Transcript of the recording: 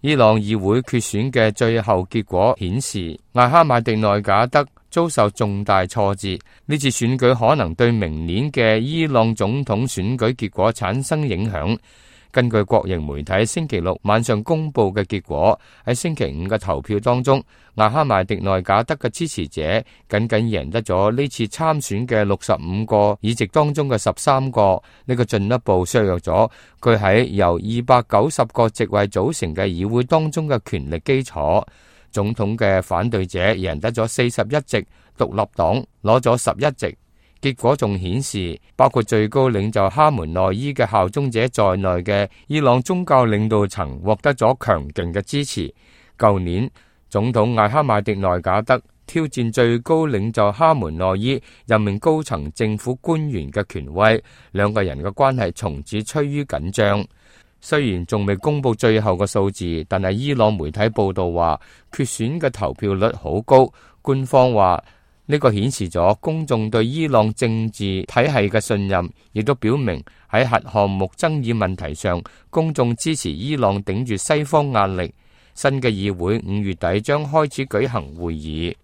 伊朗議會決選嘅最後結果顯示，艾哈邁迪內賈德遭受重大挫折，呢次選舉可能對明年嘅伊朗總統選舉結果產生影響。根據國營媒體星期六晚上公布嘅結果，喺星期五嘅投票當中，艾哈邁迪內賈德嘅支持者僅僅贏得咗呢次參選嘅65個議席當中嘅13個，呢個進一步削弱咗佢喺由290個席位組成嘅議會當中嘅權力基礎。總統嘅反對者贏得咗41席，獨立黨攞咗11席。結果仲顯示，包括最高領袖哈門內伊嘅效忠者在內嘅伊朗宗教領導層獲得咗強勁嘅支持。舊年總統艾哈邁迪內賈德挑戰最高領袖哈門內伊任命高層政府官員嘅權威，兩個人嘅關係從此趨於緊張。雖然仲未公布最後嘅數字，但係伊朗媒體報道話，決選嘅投票率好高。官方話呢個顯示咗公眾對伊朗政治體系嘅信任，亦都表明喺核項目爭議問題上，公眾支持伊朗頂住西方壓力。新嘅議會5月底將開始舉行會議。